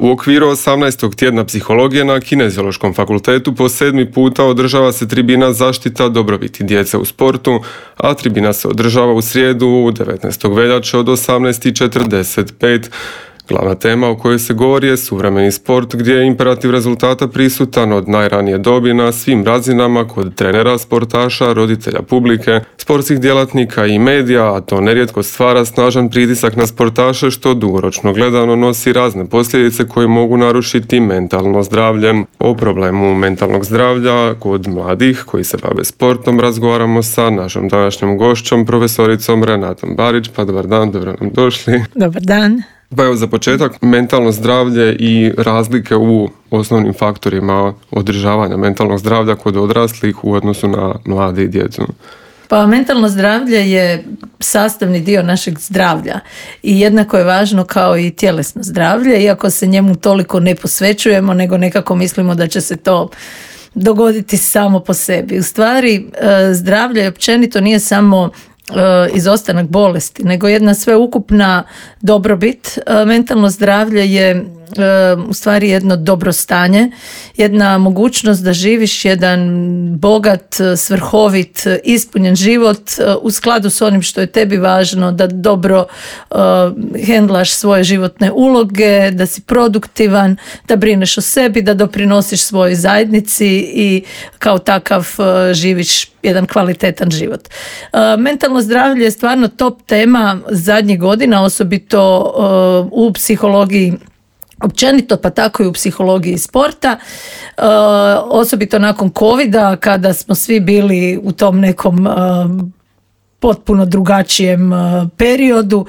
U okviru 18. tjedna psihologije na Kineziološkom fakultetu po 7. puta održava se tribina zaštita dobrobiti djece u sportu, a tribina se održava u srijedu 19. veljače od 18:45. Glavna tema o kojoj se govori je suvremeni sport gdje je imperativ rezultata prisutan od najranije dobi na svim razinama kod trenera, sportaša, roditelja publike, sportskih djelatnika i medija, a to nerijetko stvara snažan pritisak na sportaše što dugoročno gledano nosi razne posljedice koje mogu narušiti mentalno zdravlje. O problemu mentalnog zdravlja kod mladih koji se bave sportom razgovaramo sa našom današnjom gošćom, profesoricom Renatom Barić. Pa dobar dan, dobro nam došli. Dobar dan. Pa evo za početak, mentalno zdravlje i razlike u osnovnim faktorima održavanja mentalnog zdravlja kod odraslih u odnosu na mlade i djecu. Pa mentalno zdravlje je sastavni dio našeg zdravlja i jednako je važno kao i tjelesno zdravlje, iako se njemu toliko ne posvećujemo, nego nekako mislimo da će se to dogoditi samo po sebi. U stvari, zdravlje općenito nije samo izostanak bolesti, nego jedna sveukupna dobrobit. Mentalno zdravlje je u stvari jedno dobrostanje, jedna mogućnost da živiš jedan bogat, svrhovit, ispunjen život u skladu s onim što je tebi važno, da dobro hendlaš svoje životne uloge, da si produktivan, da brineš o sebi, da doprinosiš svojoj zajednici i kao takav živiš jedan kvalitetan život. Mentalno zdravlje je stvarno top tema zadnjih godina, osobito u psihologiji općenito, pa tako i u psihologiji sporta, osobito nakon covida kada smo svi bili u tom nekom potpuno drugačijem periodu.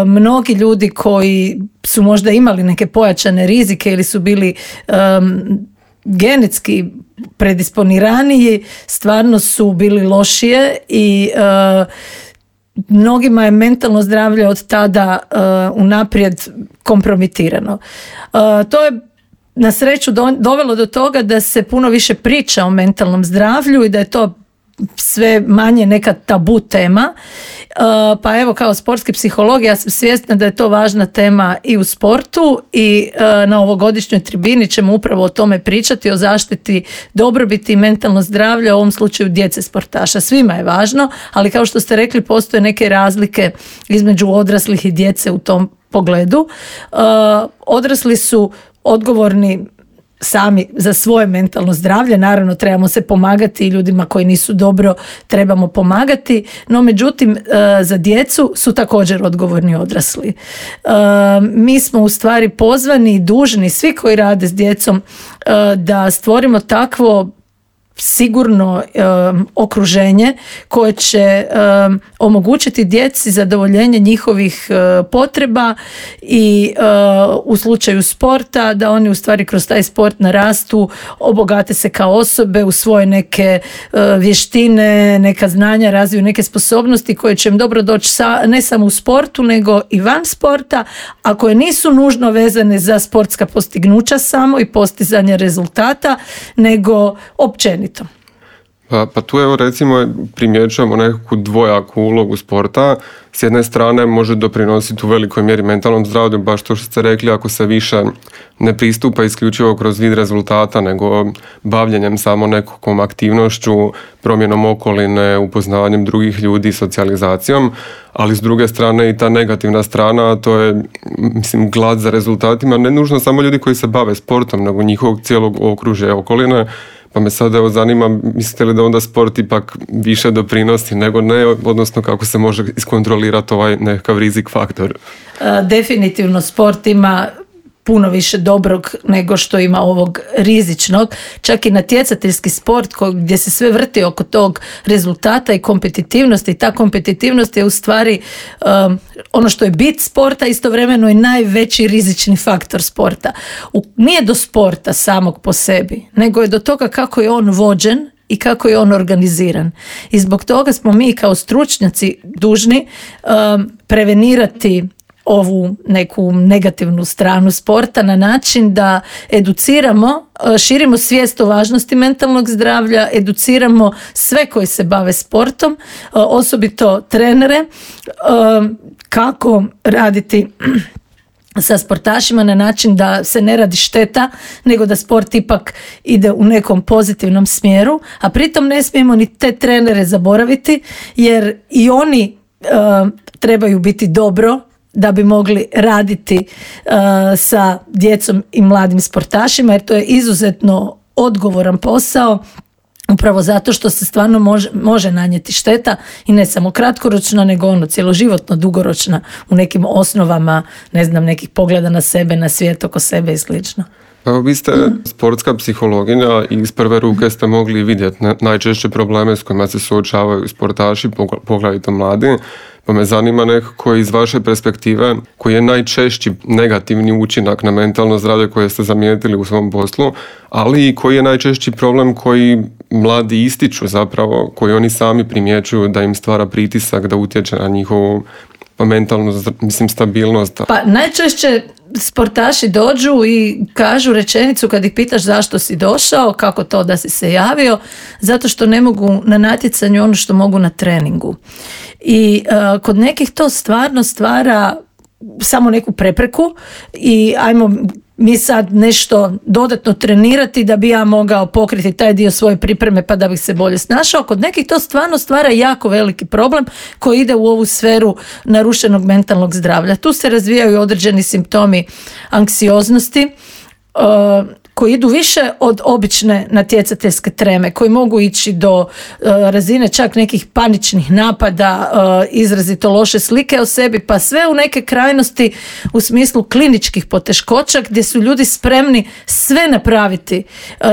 Mnogi ljudi koji su možda imali neke pojačane rizike ili su bili genetski predisponiraniji, stvarno su bili lošije i mnogima je mentalno zdravlje od tada unaprijed kompromitirano. To je na sreću dovelo do toga da se puno više priča o mentalnom zdravlju i da je to sve manje neka tabu tema. Pa evo, kao sportski psiholog ja sam svjesna da je to važna tema i u sportu i na ovogodišnjoj tribini ćemo upravo o tome pričati, o zaštiti dobrobiti i mentalno zdravlje, u ovom slučaju djece sportaša. Svima je važno, ali kao što ste rekli, postoje neke razlike između odraslih i djece u tom pogledu. Odrasli su odgovorni sami za svoje mentalno zdravlje, naravno trebamo se pomagati i ljudima koji nisu dobro trebamo pomagati, no međutim za djecu su također odgovorni odrasli. Mi smo u stvari pozvani i dužni, svi koji rade s djecom, da stvorimo takvo sigurno okruženje koje će omogućiti djeci zadovoljenje njihovih potreba i u slučaju sporta da oni u stvari kroz taj sport narastu, obogate se kao osobe, usvoje neke vještine, neka znanja, razviju neke sposobnosti koje će im dobro doći ne samo u sportu nego i van sporta, a koje nisu nužno vezane za sportska postignuća samo i postizanje rezultata, nego općenito. Pa tu evo recimo primjećujemo nekakvu dvojaku ulogu sporta. S jedne strane može doprinositi u velikoj mjeri mentalnom zdravlju, baš to što ste rekli, ako se više ne pristupa isključivo kroz vid rezultata, nego bavljenjem samo nekakvom aktivnošću, promjenom okoline, upoznavanjem drugih ljudi, socijalizacijom, ali s druge strane i ta negativna strana, to je, mislim, glad za rezultatima, ne nužno samo ljudi koji se bave sportom, nego njihovog cijelog okružja okoline. Pa me sad evo zanima, mislite li da onda sport ipak više doprinosi nego ne, odnosno kako se može iskontrolirati ovaj nekakav rizik faktor? Definitivno sport ima puno više dobrog nego što ima ovog rizičnog. Čak i natjecateljski sport gdje se sve vrti oko tog rezultata i kompetitivnosti. Ta kompetitivnost je u stvari ono što je bit sporta, istovremeno i najveći rizični faktor sporta. Nije do sporta samog po sebi, nego je do toga kako je on vođen i kako je on organiziran. I zbog toga smo mi kao stručnjaci dužni prevenirati ovu neku negativnu stranu sporta na način da educiramo, širimo svijest o važnosti mentalnog zdravlja, educiramo sve koji se bave sportom, osobito trenere, kako raditi sa sportašima na način da se ne radi šteta, nego da sport ipak ide u nekom pozitivnom smjeru, a pritom ne smijemo ni te trenere zaboraviti, jer i oni trebaju biti dobro da bi mogli raditi sa djecom i mladim sportašima, jer to je izuzetno odgovoran posao, upravo zato što se stvarno može nanijeti šteta i ne samo kratkoročna, nego cjeloživotno dugoročna u nekim osnovama, ne znam, nekih pogleda na sebe, na svijet oko sebe i slično. Evo, vi ste sportska psihologinja i iz prve ruke ste mogli vidjeti najčešće probleme s kojima se suočavaju sportaši, poglavito mladi. Pa me zanima nekako iz vaše perspektive koji je najčešći negativni učinak na mentalno zdravlje koje ste zamijetili u svom poslu, ali i koji je najčešći problem koji mladi ističu zapravo, koji oni sami primjećuju da im stvara pritisak, da utječe na njihovu mentalnu stabilnost. Pa najčešće sportaši dođu i kažu rečenicu kad ih pitaš zašto si došao, kako to da si se javio, zato što ne mogu na natjecanju ono što mogu na treningu. I kod nekih to stvarno stvara samo neku prepreku i ajmo mi sad nešto dodatno trenirati da bi ja mogao pokriti taj dio svoje pripreme pa da bih se bolje snašao. Kod nekih to stvarno stvara jako veliki problem koji ide u ovu sferu narušenog mentalnog zdravlja. Tu se razvijaju određeni simptomi anksioznosti koji idu više od obične natjecateljske treme, koji mogu ići do razine čak nekih paničnih napada, izrazito loše slike o sebi, pa sve u neke krajnosti u smislu kliničkih poteškoća gdje su ljudi spremni sve napraviti.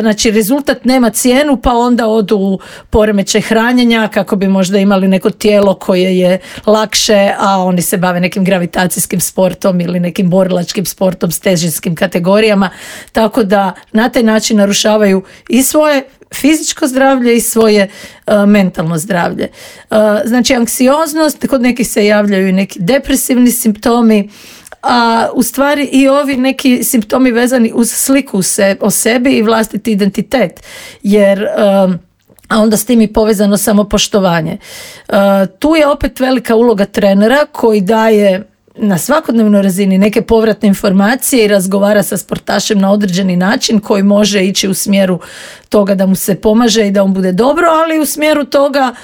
Znači, rezultat nema cijenu, pa onda odu u poremećaj hranjenja kako bi možda imali neko tijelo koje je lakše, a oni se bave nekim gravitacijskim sportom ili nekim borilačkim sportom s težinskim kategorijama, tako da na taj način narušavaju i svoje fizičko zdravlje i svoje mentalno zdravlje. Znači, anksioznost, kod nekih se javljaju i neki depresivni simptomi, a u stvari i ovi neki simptomi vezani uz sliku o sebi i vlastiti identitet, jer a onda s tim i povezano samopoštovanje. Tu je opet velika uloga trenera koji daje na svakodnevnoj razini neke povratne informacije i razgovara sa sportašem na određeni način koji može ići u smjeru toga da mu se pomaže i da on bude dobro, ali u smjeru toga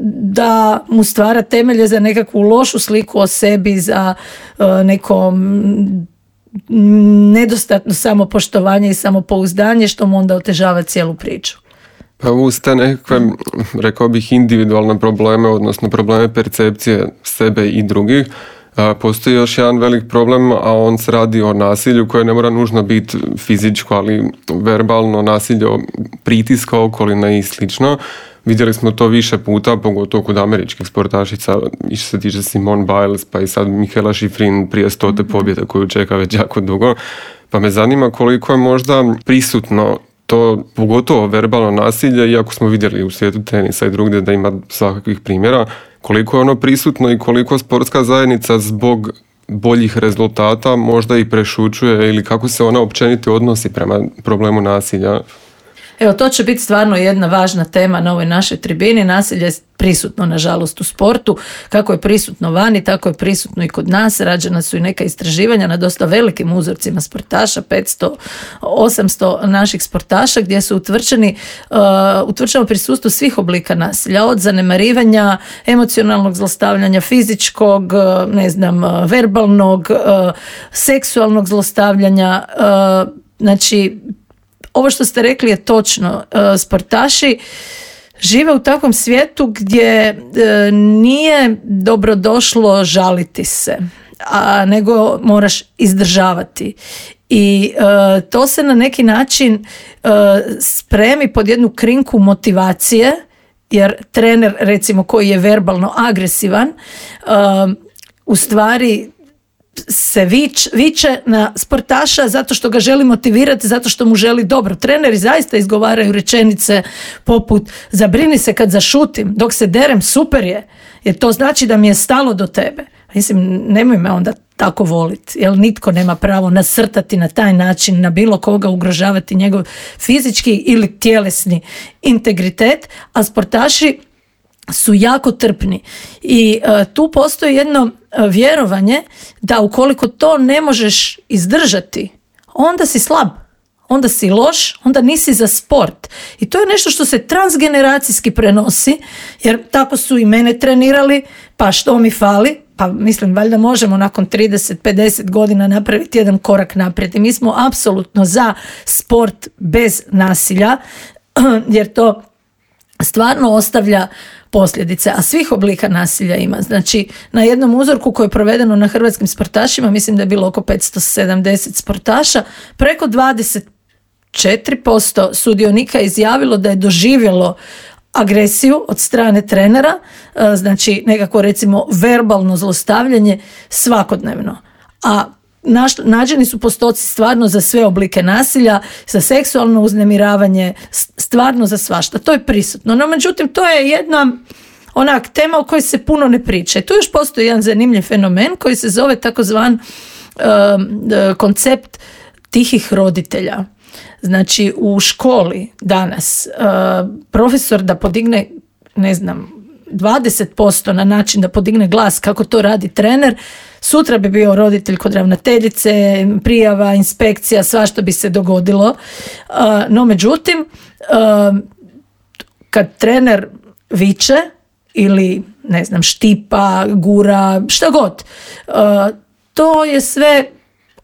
da mu stvara temelje za nekakvu lošu sliku o sebi, za neko nedostatno samopoštovanje i samopouzdanje, što mu onda otežava cijelu priču. Pa uz te nekakve, rekao bih, individualne probleme, odnosno probleme percepcije sebe i drugih, postoji još jedan velik problem, a on se radi o nasilju koje ne mora nužno biti fizičko, ali verbalno nasilje, pritiska okoline i slično. Vidjeli smo to više puta, pogotovo kod američkih sportašica, i što se tiče Simone Biles, pa i sad Mikaela Shiffrin prije 100. pobjede koju čeka već jako dugo. Pa me zanima koliko je možda prisutno to, pogotovo verbalno nasilje, iako smo vidjeli u svijetu tenisa i drugdje da ima svakakvih primjera, koliko je ono prisutno i koliko sportska zajednica zbog boljih rezultata možda i prešućuje, ili kako se ona općenito odnosi prema problemu nasilja. Evo, to će biti stvarno jedna važna tema na ovoj našoj tribini. Nasilje je prisutno, nažalost, u sportu. Kako je prisutno vani, tako je prisutno i kod nas. Rađena su i neka istraživanja na dosta velikim uzorcima sportaša, 500, 800 naših sportaša, gdje su utvrđeno prisustvo svih oblika nasilja, od zanemarivanja, emocionalnog zlostavljanja, fizičkog, verbalnog, seksualnog zlostavljanja. Znači, ovo što ste rekli je točno. Sportaši žive u takvom svijetu gdje nije dobrodošlo žaliti se, nego moraš izdržavati. I to se na neki način spremi pod jednu krinku motivacije, jer trener, recimo, koji je verbalno agresivan, u stvari se viče na sportaša zato što ga želi motivirati, zato što mu želi dobro. Treneri zaista izgovaraju rečenice poput: zabrini se kad zašutim, dok se derem super je, jer to znači da mi je stalo do tebe. Mislim, nemoj me onda tako voliti, jer nitko nema pravo nasrtati na taj način na bilo koga, ugrožavati njegov fizički ili tjelesni integritet, a sportaši su jako trpni. I tu postoji jedno vjerovanje da ukoliko to ne možeš izdržati, onda si slab, onda si loš, onda nisi za sport. I to je nešto što se transgeneracijski prenosi, jer tako su i mene trenirali, pa što mi fali? Pa mislim, valjda možemo nakon 30-50 godina napraviti jedan korak naprijed. I mi smo apsolutno za sport bez nasilja, jer to stvarno ostavlja posljedice, a svih oblika nasilja ima. Znači, na jednom uzorku koji je provedeno na hrvatskim sportašima, mislim da je bilo oko 570 sportaša, preko 24% sudionika je izjavilo da je doživjelo agresiju od strane trenera, znači nekako recimo verbalno zlostavljanje svakodnevno. A nađeni su postoci stvarno za sve oblike nasilja, za seksualno uznemiravanje, stvarno za svašta. To je prisutno. No, međutim, to je jedna onak tema o kojoj se puno ne priča. I tu još postoji jedan zanimljiv fenomen koji se zove takozvan koncept tihih roditelja. Znači, u školi danas profesor da podigne, 20% na način da podigne glas kako to radi trener, sutra bi bio roditelj kod ravnateljice, prijava, inspekcija, svašta bi se dogodilo. No, međutim, kad trener viče ili, štipa, gura, šta god, to je sve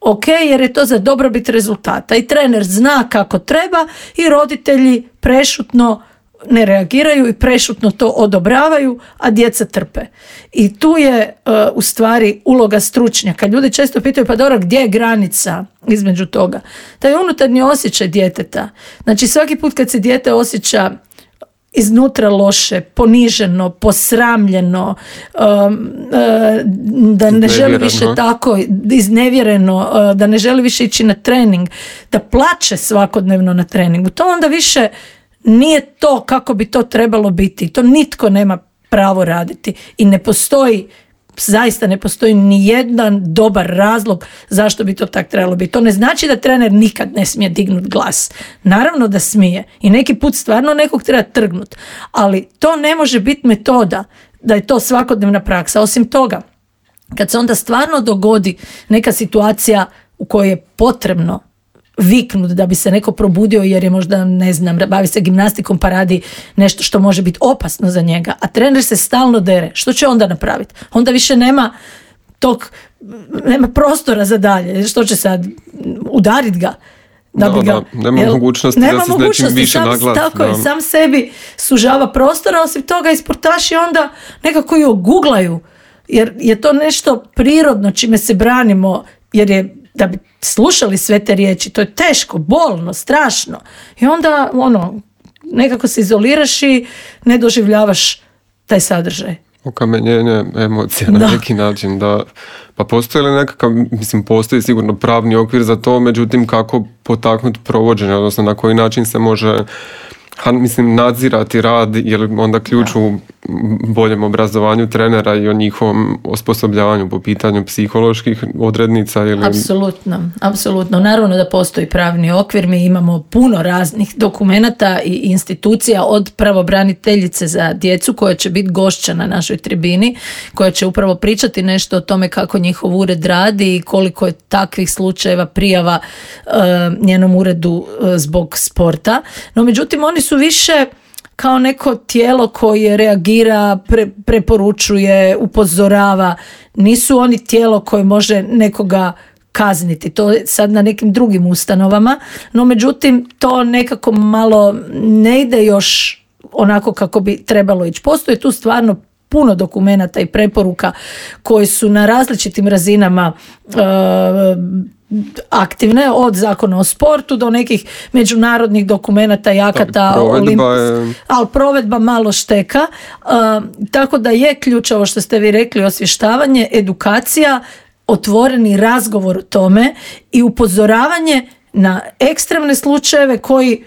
ok, jer je to za dobrobit rezultata. I trener zna kako treba i roditelji prešutno ne reagiraju i prešutno to odobravaju, a djeca trpe. I tu je u stvari uloga stručnjaka. Ljudi često pitaju, pa dobro, gdje je granica između toga? Taj unutarnji osjećaj djeteta. Znači, svaki put kad se dijete osjeća iznutra loše, poniženo, posramljeno, da ne želi više tako, iznevjereno, da ne želi više ići na trening, da plače svakodnevno na treningu, to onda više nije to kako bi to trebalo biti. To nitko nema pravo raditi i zaista ne postoji ni jedan dobar razlog zašto bi to tako trebalo biti. To ne znači da trener nikad ne smije dignuti glas. Naravno da smije i neki put stvarno nekog treba trgnuti, ali to ne može biti metoda da je to svakodnevna praksa. Osim toga, kad se onda stvarno dogodi neka situacija u kojoj je potrebno viknut da bi se neko probudio jer je možda, bavi se gimnastikom pa radi nešto što može biti opasno za njega, a trener se stalno dere, što će onda napraviti? Onda više nema prostora za dalje. Što će sad? Udarit ga? Nema mogućnosti da se s nečim više naglasi. Tako je, sam sebi sužava prostora, osim toga i sportaši onda nekako i oguglaju, jer je to nešto prirodno čime se branimo, jer je da bi slušali sve te riječi, to je teško, bolno, strašno. I onda nekako se izoliraš i ne doživljavaš taj sadržaj. Okamenjenje emocija na neki način. Da. Pa postoji li nekakav, postoji sigurno pravni okvir za to, međutim kako potaknuti provođenje, odnosno na koji način se može nadzirati rad, jer onda ključ u boljem obrazovanju trenera i o njihovom osposobljavanju po pitanju psiholoških odrednica ili... Apsolutno. Naravno da postoji pravni okvir, mi imamo puno raznih dokumenata i institucija, od pravobraniteljice za djecu koja će biti gošća na našoj tribini, koja će upravo pričati nešto o tome kako njihov ured radi i koliko je takvih slučajeva prijava njenom uredu zbog sporta. No, međutim, oni su više kao neko tijelo koje reagira, preporučuje, upozorava. Nisu oni tijelo koje može nekoga kazniti. To je sad na nekim drugim ustanovama, no međutim to nekako malo ne ide još onako kako bi trebalo ići. Postoji tu stvarno puno dokumenata i preporuka koji su na različitim razinama aktivne, od zakona o sportu do nekih međunarodnih dokumenata i akata, ali provedba malo šteka. Tako da je ključ ovo što ste vi rekli, osvještavanje, edukacija, otvoreni razgovor o tome i upozoravanje na ekstremne slučajeve koji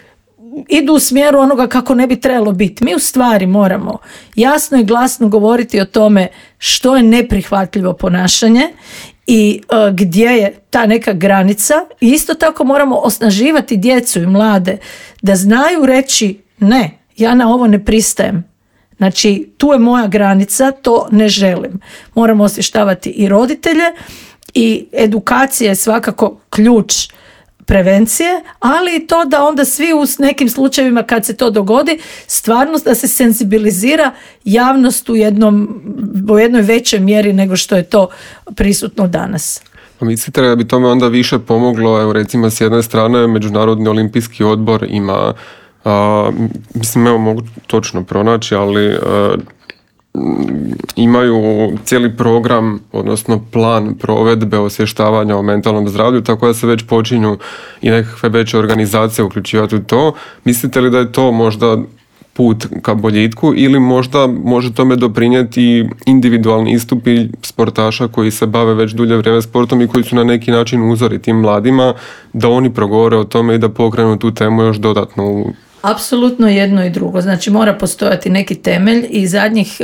idu u smjeru onoga kako ne bi trebalo biti. Mi u stvari moramo jasno i glasno govoriti o tome što je neprihvatljivo ponašanje i gdje je ta neka granica. I isto tako moramo osnaživati djecu i mlade da znaju reći ne, ja na ovo ne pristajem. Znači, tu je moja granica, to ne želim. Moramo osvještavati i roditelje i edukacija je svakako ključ prevencije, ali i to da onda svi u nekim slučajevima kad se to dogodi, stvarno da se senzibilizira javnost u jednoj većoj mjeri nego što je to prisutno danas. Mislite da bi tome onda više pomoglo, evo recimo s jedne strane Međunarodni olimpijski odbor ima, mislim evo mogu točno pronaći, ali imaju cijeli program, odnosno plan provedbe osvještavanja o mentalnom zdravlju, tako da se već počinju i nekakve veće organizacije uključivati u to. Mislite li da je to možda put ka boljitku ili možda može tome doprinijeti individualni istupi sportaša koji se bave već dulje vrijeme sportom i koji su na neki način uzori tim mladima da oni progovore o tome i da pokrenu tu temu još dodatno? Apsolutno jedno i drugo. Znači mora postojati neki temelj i zadnjih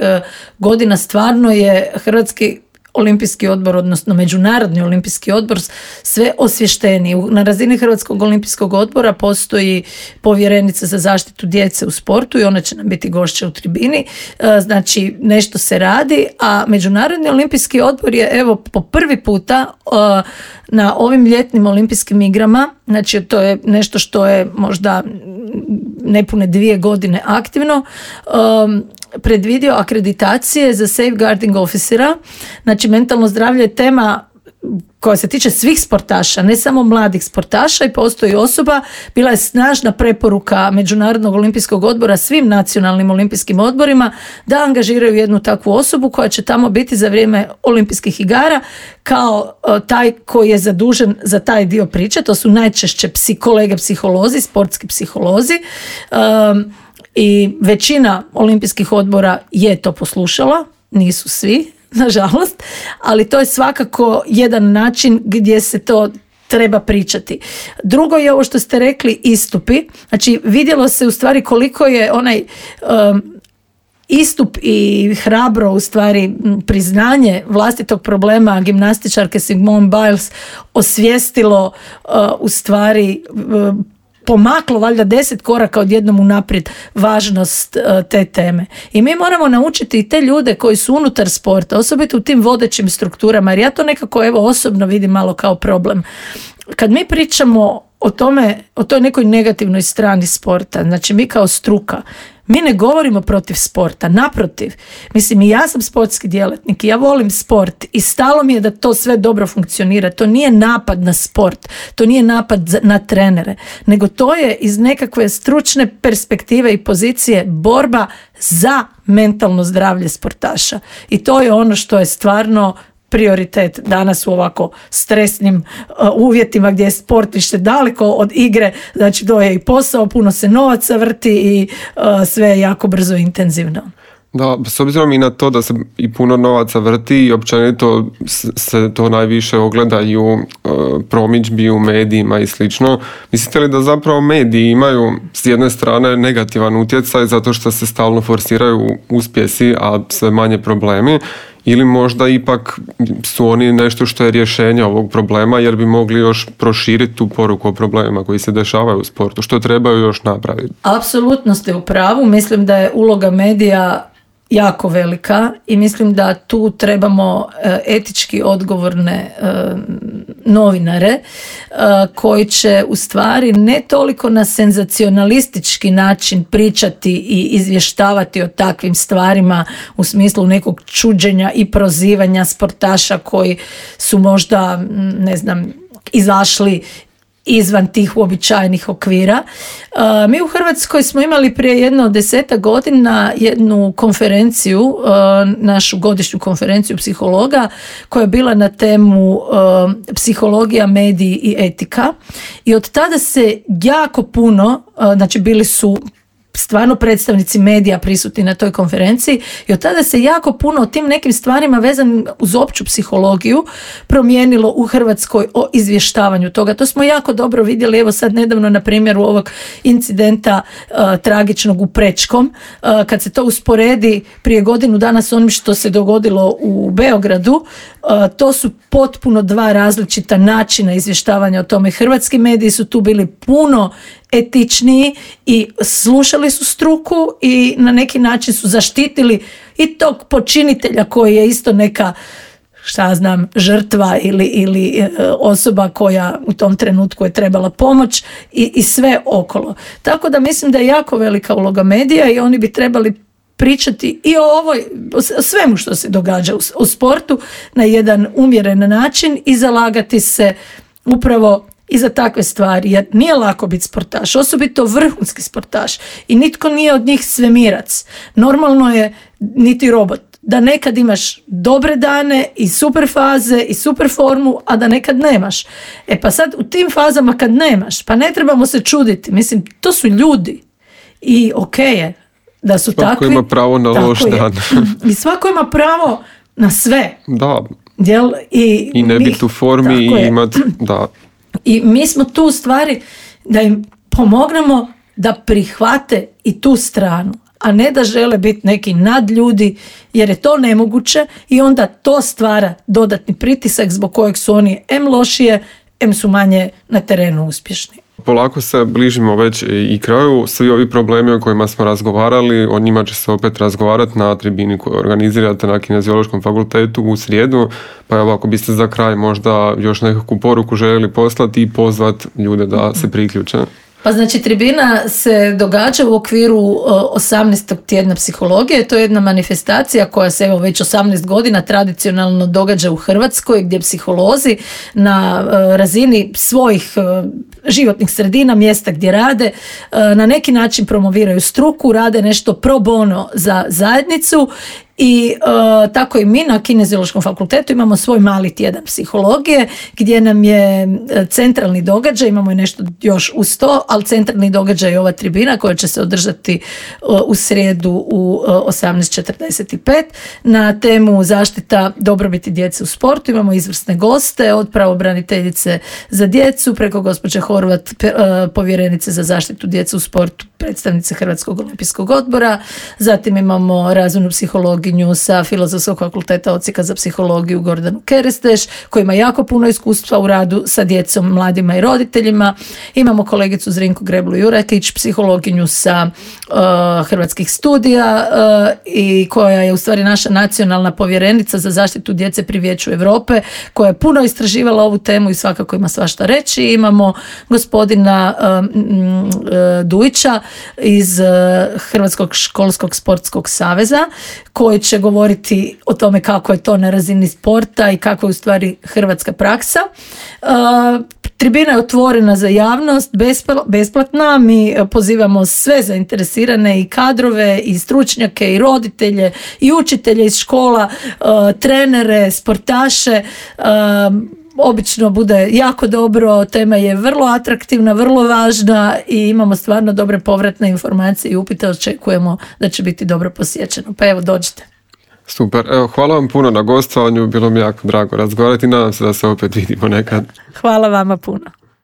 godina stvarno je Hrvatski olimpijski odbor, odnosno Međunarodni olimpijski odbor sve osvješteniji. Na razini Hrvatskog olimpijskog odbora postoji povjerenica za zaštitu djece u sportu i ona će nam biti gošća u tribini. Znači nešto se radi, a Međunarodni olimpijski odbor je evo po prvi puta na ovim ljetnim olimpijskim igrama, znači to je nešto što je možda nepune 2 godine aktivno, predvidio akreditacije za safeguarding officera. Znači mentalno zdravlje je tema koja se tiče svih sportaša, ne samo mladih sportaša, i postoji osoba, bila je snažna preporuka Međunarodnog olimpijskog odbora svim nacionalnim olimpijskim odborima da angažiraju jednu takvu osobu koja će tamo biti za vrijeme olimpijskih igara kao taj koji je zadužen za taj dio priče. To su najčešće kolege psiholozi, sportski psiholozi, i većina olimpijskih odbora je to poslušala, nisu svi, nažalost, ali to je svakako jedan način gdje se to treba pričati. Drugo je ovo što ste rekli, istupi. Znači vidjelo se u stvari koliko je onaj istup i hrabro u stvari priznanje vlastitog problema gimnastičarke Simone Biles osvijestilo u stvari pomaklo valjda 10 koraka odjednom unaprijed važnost te teme. I mi moramo naučiti i te ljude koji su unutar sporta, osobito u tim vodećim strukturama, jer ja to nekako evo osobno vidim malo kao problem. Kad mi pričamo o tome, o toj nekoj negativnoj strani sporta, znači mi kao struka, mi ne govorimo protiv sporta, naprotiv. Mislim, i ja sam sportski djelatnik i ja volim sport i stalo mi je da to sve dobro funkcionira. To nije napad na sport, to nije napad na trenere, nego to je iz nekakve stručne perspektive i pozicije borba za mentalno zdravlje sportaša. I to je ono što je stvarno prioritet danas u ovako stresnim uvjetima gdje je sport više daleko od igre, znači to je i posao, puno se novaca vrti i sve je jako brzo i intenzivno. Da, s obzirom i na to da se i puno novaca vrti i općenito se to najviše ogleda i u promidžbi, u medijima i slično, mislite li da zapravo mediji imaju s jedne strane negativan utjecaj zato što se stalno forsiraju uspjesi, a sve manje problemi, ili možda ipak su oni nešto što je rješenje ovog problema jer bi mogli još proširiti tu poruku o problemima koji se dešavaju u sportu, što trebaju još napraviti? Apsolutno ste u pravu, mislim da je uloga medija jako velika i mislim da tu trebamo etički odgovorne novinare koji će u stvari ne toliko na senzacionalistički način pričati i izvještavati o takvim stvarima u smislu nekog čuđenja i prozivanja sportaša koji su možda, ne znam, izašli izvan tih uobičajenih okvira. Mi u Hrvatskoj smo imali prije jedno 10 godina jednu konferenciju, našu godišnju konferenciju psihologa koja je bila na temu psihologija, mediji i etika. I od tada se jako puno, znači bili su stvarno predstavnici medija prisutni na toj konferenciji i od tada se jako puno o tim nekim stvarima vezanim uz opću psihologiju promijenilo u Hrvatskoj o izvještavanju toga. To smo jako dobro vidjeli, evo sad nedavno na primjeru ovog incidenta tragičnog u Prečkom, kad se to usporedi prije godinu dana s onim što se dogodilo u Beogradu, to su potpuno dva različita načina izvještavanja o tome. Hrvatski mediji su tu bili puno etičniji i slušali su struku i na neki način su zaštitili i tog počinitelja koji je isto neka, žrtva ili osoba koja u tom trenutku je trebala pomoć i sve okolo. Tako da mislim da je jako velika uloga medija i oni bi trebali pričati i o svemu što se događa u sportu na jedan umjeren način i zalagati se upravo i za takve stvari, jer nije lako biti sportaš, osobito vrhunski sportaš i nitko nije od njih svemirac. Normalno je niti robot, da nekad imaš dobre dane i super faze i super formu, a da nekad nemaš. Pa sad u tim fazama kad nemaš, pa ne trebamo se čuditi, mislim, to su ljudi i okej je da su svako takvi. Svako ima pravo na loš dan. I svako ima pravo na sve. Da. Jel? I ne biti u formi i imati, da. I mi smo tu u stvari da im pomognemo da prihvate i tu stranu, a ne da žele biti neki nadljudi, jer je to nemoguće i onda to stvara dodatni pritisak zbog kojeg su oni em lošije, em su manje na terenu uspješni. Polako se bližimo već i kraju. Svi ovi problemi o kojima smo razgovarali, o njima će se opet razgovarati na tribini koju organizirate na Kineziološkom fakultetu u srijedu. Pa evo, ako biste za kraj možda još nekakvu poruku željeli poslati i pozvati ljude da se priključe. Pa znači tribina se događa u okviru 18. tjedna psihologije. To je jedna manifestacija koja se već 18 godina tradicionalno događa u Hrvatskoj, gdje psiholozi na razini svojih životnih sredina, mjesta gdje rade, na neki način promoviraju struku, rade nešto pro bono za zajednicu. I tako i mi na Kineziološkom fakultetu imamo svoj mali tjedan psihologije gdje nam je centralni događaj, imamo i nešto još uz to, ali centralni događaj je ova tribina koja će se održati u srijedu u 18:45 na temu zaštita dobrobiti djece u sportu. Imamo izvrsne goste od pravobraniteljice za djecu preko gospođe Horvat, povjerenice za zaštitu djece u sportu, predstavnice Hrvatskog olimpijskog odbora, zatim imamo razvojnu psihologiju sa Filozofskog fakulteta Odsjeka za psihologiju Gordanu Keresteš, koji ima jako puno iskustva u radu sa djecom, mladima i roditeljima. Imamo kolegicu Zrinku Greblu-Jurakić, psihologinju sa Hrvatskih studija i koja je u stvari naša nacionalna povjerenica za zaštitu djece pri Vijeću Europe, koja je puno istraživala ovu temu i svakako ima svašta reći. Imamo gospodina Dujića iz Hrvatskog školskog sportskog saveza, koji će govoriti o tome kako je to na razini sporta i kako je u stvari hrvatska praksa. Tribina je otvorena za javnost, besplatna. Mi pozivamo sve zainteresirane i kadrove i stručnjake i roditelje i učitelje iz škola, trenere, sportaše. Obično bude jako dobro, tema je vrlo atraktivna, vrlo važna i imamo stvarno dobre povratne informacije i upite, očekujemo da će biti dobro posjećeno. Pa evo, dođite. Super, evo, hvala vam puno na gostovanju, bilo mi jako drago razgovarati i nadam se da se opet vidimo nekad. Hvala vama puno.